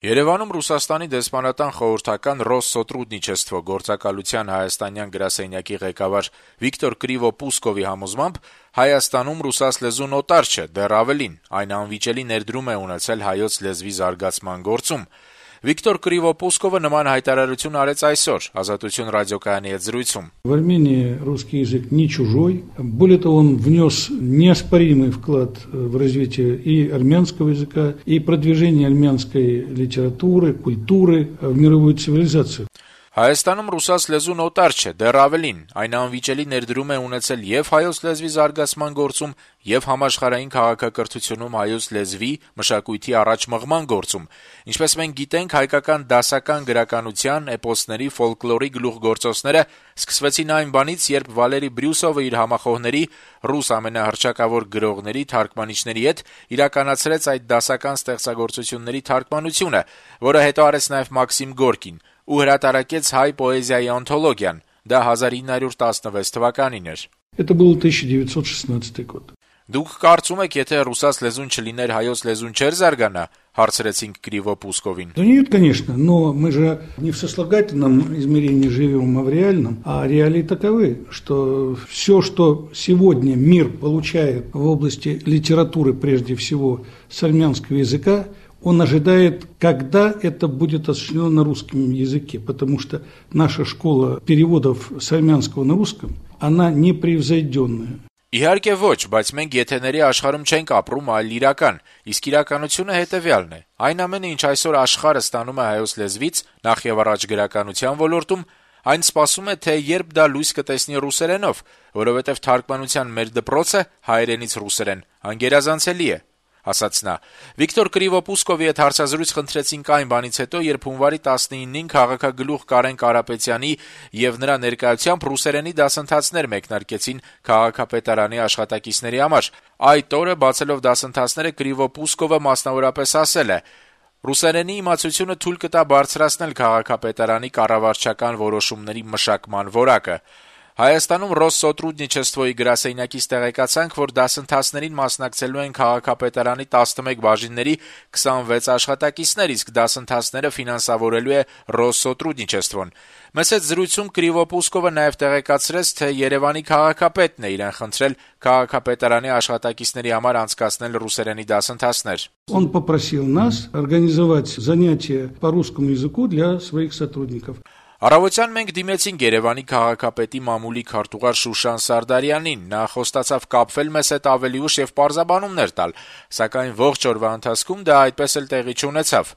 Երևանում Ռուսաստանի դեսպանատան խորհրդական Ռոսսոտրուդնիչեսթվո գործակալության հայաստանյան գրասենյակի ղեկավար Վիկտոր Կրիվո-Պուսկովի համոզմամբ Հայաստանում ռուսաց լեզուն օտար չէ, դեռ ավելին, այն անվիճելի ներդրում է ունեցել հայոց լեզվի զարգացման գործում։ Վիկտոր Կրիվո-Պուսկովը նման հայտարարություն արեց այսօր Ազատություն ռադիոկայանի հետ զրույցում։ В Армении русский язык не чужой. Более того, он внес неоспоримый вклад в развитие и армянского языка, и продвижение армянской литературы, культуры в мировую цивилизацию. Հայաստանում ռուսաց լեզուն օտար չէ, դեռ ավելին, այն անվիճելի ներդրում է ունեցել եւ հայոց լեզվի զարգացման գործում, եւ համաշխարհային քաղաքակրթությունում հայոց լեզվի, մշակույթի առաջ մղման գործում։ Ինչպես մենք գիտենք, հայկական դասական գրականության, էպոսների, ֆոլկլորի գլուխգործոցները սկսվեցին այն բանից, երբ Վալերի Բրյուսովը իր համախոհների, ռուս ամենահռչակավոր գրողների, թարգմանիչների հետ իրականացրեց այդ դասական ստեղծագործությունների թարգմանությունը, որը հետո արեց նաեւ Մաքսիմ Գորկին, ու հրատարակեց հայ պոեզիայի անթոլոգիան, դա 1916 թվականին էր։ Это был 1916 год. Դուք կարծում եք, եթե ռուսաց լեզուն չլիներ, հայոց լեզուն չէր զարգանա, հարցրեցինք Կրիվո-Պուսկովին։ Да нет, конечно, но мы же не в сослагательном измерении живем, а в реальном. А реалии таковы, что все, что сегодня мир получает в области литературы, прежде всего, с армянского языка, он ожидает, когда это будет осуществлено на русском языке, потому что наша школа переводов с армянского на русском, она непревзойденная. Իհարկե ոչ, բայց մենք եթեների աշխարհում չենք ապրում, այլ իրական, իսկ իրականությունը հետեւյալն է. այն ամենը, ինչ այսօր աշխարհը ստանում է հայոց լեզվից, նախ եւ առաջ գրականության ոլորտում, այն սպասում է, թե երբ դա լույս կտեսնի ռուսերենով, որովհետեւ թարգմանության մեր դպրոցը հայերենից ռուսերեն անգերազանցելի է, ասաց նա։ Վիկտոր Կրիվո-Պուսկովի հետ հարցազրույց խնդրեցինք այն բանից հետո, երբ հունվարի 19-ին քաղաքագլուխ Կարեն Կարապետյանի եւ նրա ներկայությամբ ռուսերենի դասընթացներ մեկնարկեցին քաղաքապետարանի աշխատակիցների համար։ Այդ օրը բացելով դասընթացները Կրիվո-Պուսկովը մասնավորապես ասել է. «Ռուսերենի իմացությունը թույլ կտա բարձրացնել քաղաքապետարանի կառավարչական որոշումների մշակման որակը»։ Հայաստանում Ռոսսոտրուդնիչեսթվոյի գրասենյակից տեղեկացանք, որ դասընթացներին մասնակցելու են քաղաքապետարանի 11 բաժինների 26 աշխատակիցներ, իսկ դասընթացները ֆինանսավորելու է Ռոսսոտրուդնիչեսթվոն։ Մեծ հետ զրույցում Կրիվո-Պուսկովը նաև տեղեկացրեց, թե Երևանի քաղաքապետն է իրեն խնդրել քաղաքապետարանի աշխատակիցների համար անցկացնել ռուսերենի դասընթացներ։ Он попросил нас организовать занятия по русскому языку для своих сотрудников. Առավոտյան մենք դիմեցինք Երևանի քաղաքապետի մամուլի քարտուղար Շուշան Սարդարյանին, նա խոստացավ կապվել մեզ հետ ավելի ուշ եւ պարզաբանումներ տալ, սակայն ողջ օրվա ընթացքում դա այդպես էլ տեղի չունեցավ։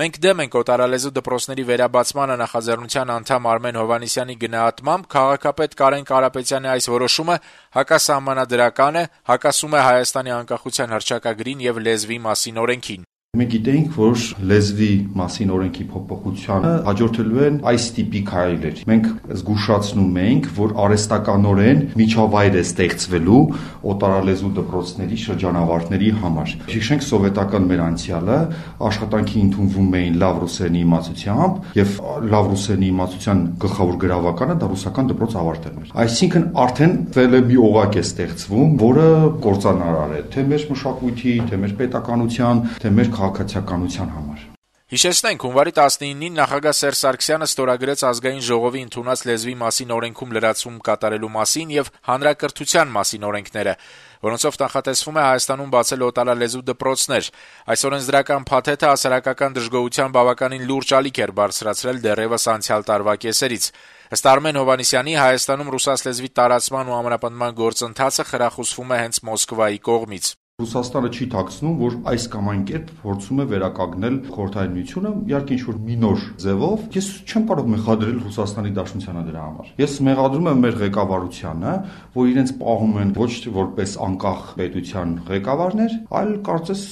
Մենք դեմ ենք օտարալեզու դպրոցների վերաբացմանը նախաձեռնության անդամ Արմեն Հովհաննիսյանի գնահատմամբ քաղաքապետ Կարեն Կարապետյանի այս որոշումը հակասահմանադրական է, հակասում է Հայաստանի անկախության հռչակագրին եւ լեզվի մասին օրենքին։ Մենք գիտենք, որ լեզվի մասին օրենքի փոփոխությանը հաջորդելու են այս տիպի քայլեր։ Մենք զգուշացնում ենք, որ արհեստականորեն միջավայր է ստեղծվելու օտարալեզու դպրոցների շրջանավարտների համար։ Հիշենք սովետական մեր անցյալը, աշխատանքի ընդունվում էին լավ ռուսերենի իմացությամբ եւ լավ ռուսերենի իմացության գլխավոր գրավականը դա ռուսական դպրոց ավարտելն էր։ Այսինքն արդեն մի օղակ է ստեղծվում, որը կործանարար է թե մեր մշակույթի, թե մեր պետականության, թե մեր քաղաքացիականության համար։ Հիշեցնենք, հունվարի 19-ին նախագահ Սերժ Սարգսյանը ստորագրեց ազգային ժողովի ընդունած լեզվի մասին օրենքում լրացում կատարելու մասին եւ հանրակրթության մասին օրենքները, որոնցով նախատեսվում է Հայաստանում բացել օտարալեզու դպրոցներ։ Այս օրենսդրական փաթեթը հասարակական դժգոհության բավականին լուրջ ալիք էր բարձրացրել դեռևս անցյալ տարվա կեսերից։ Ըստ Արմեն Հովհաննիսյանի, Հայաստանում ռուսաց լեզվի տարածման ու ամրապնդման գործընթացը խրախուսվում է հենց Մոսկվայի կողմից։ Ռուսաստանը չի ཐակցնում, որ այս կամ այն կերպ փորձում է վերականգնել խորհրդային միությունը, իհարկե ինչ-որ մինոր ձևով։ Ես չեմ կարող մեղադրել Ռուսաստանի Դաշնությանը դրա համար։ Ես մեղադրում եմ մեր ղեկավարությանը, որ իրենց պահում են ոչ որպես անկախ պետության ղեկավարներ, այլ կարծես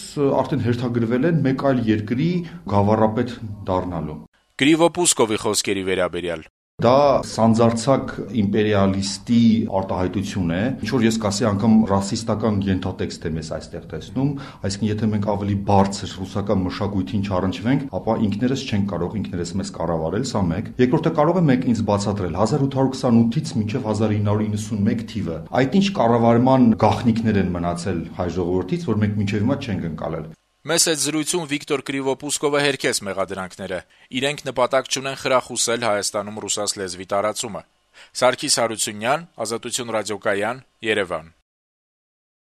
արդեն հերթագրվել են մեկ այլ երկրի գավառապետ դառնալու։ Կրիվո-Պուսկովի խոսքերի վերաբերյալ Դա սանձարձակ իմպերիալիստի արտահայտություն է, ինչ որ ես կասեի անգամ ռասիստական ենթատեքստ է մեզ այստեղ տեսնում, այսինքն եթե մենք ավելի բարձր ռուսական մշակույթին չառնչվենք, ապա ինքներս չենք կարող ինքներս մեզ կառավարել, սա մեկ։ Երկրորդը կարող է մեկ ինձ բացատրել 1828-ից մինչև 1991 թիվը։ Այդ ինչ կառավարման գաղտնիքներ են մնացել հայ ժողովրդից, որ մենք մինչև հիմա չենք ընկալել։ Մեծ այդ զրույցում Վիկտոր Կրիվոպուսկովը հերքեց մեղադրանքները։ Իրենք նպատակ չունեն խրախուսել Հայաստանում ռուսաց լեզվի տարածումը։ Սարգիս Հարությունյան, Ազատություն ռադիոկայան, Երևան։